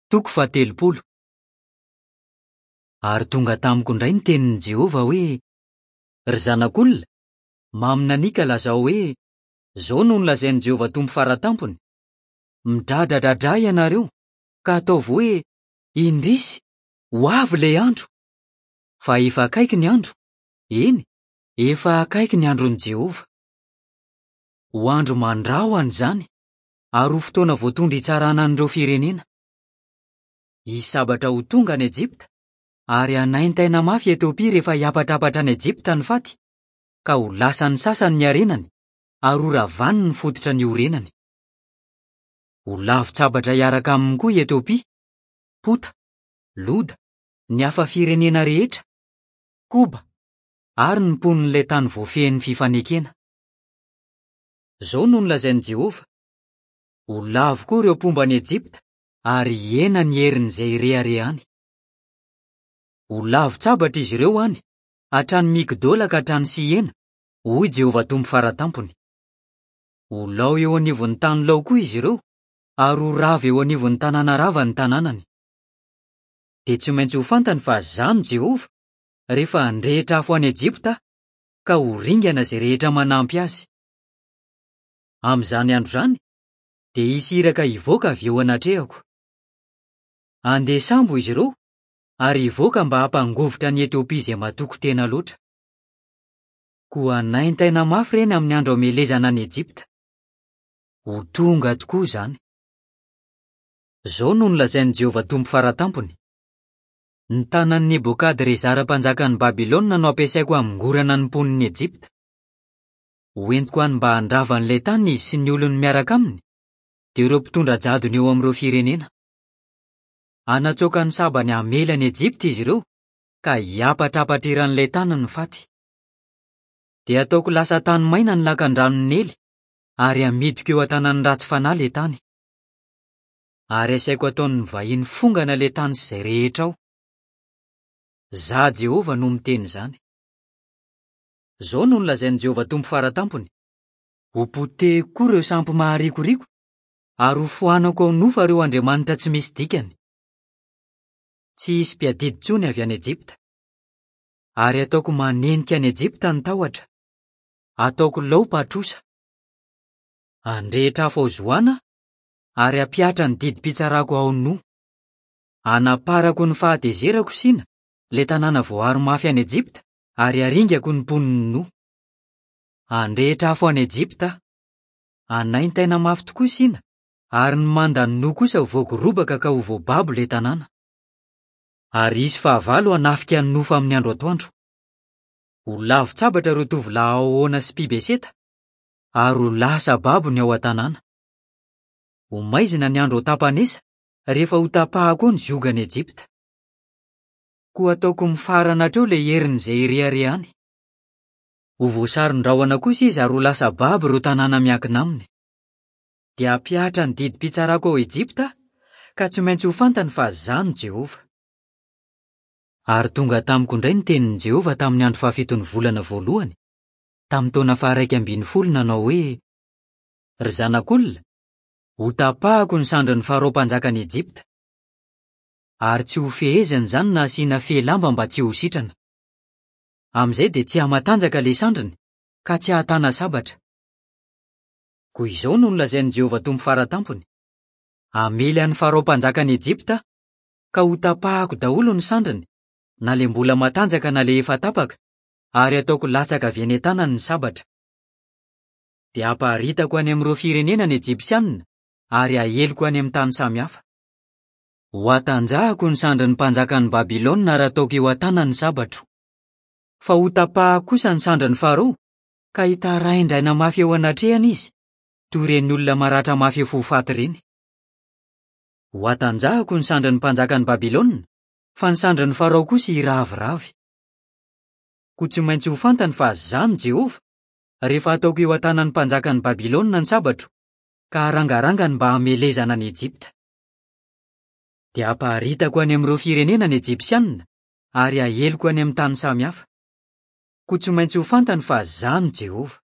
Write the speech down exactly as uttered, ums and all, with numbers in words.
Toko fahatelopolo. Ary tonga tamiko indray ny tenin'i Jehovah hoe: "Ry zanak'olona, maminania ka lazao hoe: Izao no nolazain'i Jehovah Tompo Fara Tampony: Midradradradra ianareo, ka ataovy hoe: Indrisy, ho avy ilay andro! Fa efa akaiky ny andro, eny, efa akaiky ny andron'i Jehovah. Ho andro mandrahona izany, ary ho fotoana voatondro hitsarana an'ireo firenena. Hisy sabatra ho tonga any Ejipta, ary hanaintaina mafy Etiopia rehefa hiapatrapatra any Ejipta ny faty, ka ho lasan'ny sasany ny harenany, ary ho ravany ny fototra niorenany. Ho lavon-tsabatra hiaraka aminy koa i Etiopia, Pota, Loda, ny hafa firenena rehetra, Koba, ary ny mponin'ilay tany voafehin'ny fifanekena. Izao no nolazain'i Jehovah: Ho lavo koa ireo mpomba an'i Ejipta, ary hihena ny herin'izay ireharehany. Ho lavon-tsabatra izy ireo any, hatrany Migdola ka hatrany Siena, hoy Jehovah Tompo Fara Tampony. Ho lao eo anivon'ny tany lao koa izy ireo, ary ho rava eo anivon'ny tanàna rava ny tanànany. Dia tsy maintsy ho fantany fa Izaho no Jehovah, rehefa handrehitra afo any Ejipta Aho, ka ho ringana izay rehetra manampy azy. Amin'izany andro izany, dia hisy iraka hivoaka avy eo anatrehako. Handeha sambo izy ireo, ary hivoaka mba hampangovitra an'i Etiopia izay matoky tena loatra. Koa hanaintaina mafy ireny amin'ny andro hamelezana an'i Ejipta. Ho tonga tokoa izany. Izao no nolazain'i Jehovah Tompo Fara Tampony: Ny tanan'i Nebokadrezara mpanjakan'i Babylona no ampiasaiko hamongorana ny mponin'i Ejipta. Hoentiko any mba handrava an'ilay tany izy sy ny olony miaraka aminy, dia ireo mpitondra jadona eo amin'ireo firenena. Hanatsoaka ny sabany hamely an'i Ejipta izy ireo, ka hiapatrapatra eran'ilay tany ny faty. Dia hataoko lasa tany maina ny lakandranon'i Nely, ary hamidiko eo an-tanan'ny ratsy fanahy ilay tany. Ary asaiko ataon'ny vahiny fongana ilay tany sy izay rehetra ao. Izaho Jehovah no miteny izany. Izao no nolazain'i Jehovah Tompo Fara Tampony: Hopotehiko koa ireo sampy maharikoriko, ary hofoanako ao Nofa ireo andriamanitra tsy misy dikany. Tsy hisy mpiadidy intsony avy any Ejipta. Ary hataoko manenika an'i Ejipta ny tahotra. Hataoko lao Patrosa. Handrehitra afo ao Zoana, ary hampihatra ny didim-pitsarako ao No. Hanaparako ny fahatezerako Sina, ilay tanàna voaaro mafy any Ejipta, ary haringako ny mponin'i No. Handrehitra afo any Ejipta aho. Hanaintaina mafy tokoa Sina, ary ny mandan'i No kosa ho voagorobaka ka ho voababo ilay tanàna. Ary hisy fahavalo hanafika an'i Nofa amin'ny andro atoandro. Ho lavon-tsabatra ireo tovolahy ao Ona sy Pibeseta, ary ho lasa babo ny ao an-tanàna. Ho maizina ny andro ao Tapanesa, rehefa ho tapahako ny ziogan'i Ejipta. Koa ataoko mifarana hatreo ilay herin'izay ireharehany. Ho voasaron-drahona kosa izy ary ho lasa babo ireo tanàna miankina aminy. Dia hampihatra ny didim-pitsarako ao Ejipta aho, ka tsy maintsy ho fantany fa Izaho no Jehovah. Ary tonga tamiko indray ny tenin'i Jehovah tamin'ny andro fahafiton'ny volana voalohany, tamin'ny taona faharaika ambin'ny folo nanao hoe: Ry zanak'olona, hotapahako ny sandrin'ny Farao mpanjakan'i Ejipta. Ary tsy ho feheziny izany na asiana fehy lamba mba tsy ho sitrana. Amin'izay dia tsy hamatanjaka ilay sandriny, ka tsy hahatana sabatra. Koa izao no nolazain'i Jehovah Tompo Fara Tampony: Hamely an'i Farao mpanjakan'i Ejipta aho, ka hotapahako daholo ny sandriny, na ilay mbola matanjaka na ilay efa tapaka, ary hataoko latsaka avy eny an-tanany ny sabatra. Dia hamparitako any amin'ireo firenena ny Ejipsianina, ary haheliko any amin'ny tany samihafa. Hohatanjahako ny sandrin'ny mpanjakan'i Babylona ary hataoko eo an-tanany ny sabatro. Fa hotapahako kosa ny sandrin'i Farao, ka hitaraindraina mafy eo anatrehany izy, toy ireny olona maratra mafy efa ho faty ireny. Hohatanjahako ny sandrin'ny mpanjakan'i Babylona, fa ny sandrin'i Farao kosa hiraviravy. Koa tsy maintsy ho fantany fa Izaho no Jehovah, rehefa hataoko eo an-tanan'ny mpanjakan'i Babylona ny sabatro, ka harangarangany mba hamelezana an'i Ejipta. Dia hamparitako any amin'ireo firenena ny Ejipsianina, ary haheliko any amin'ny tany samihafa. Koa tsy maintsy ho fantany fa Izaho no Jehovah.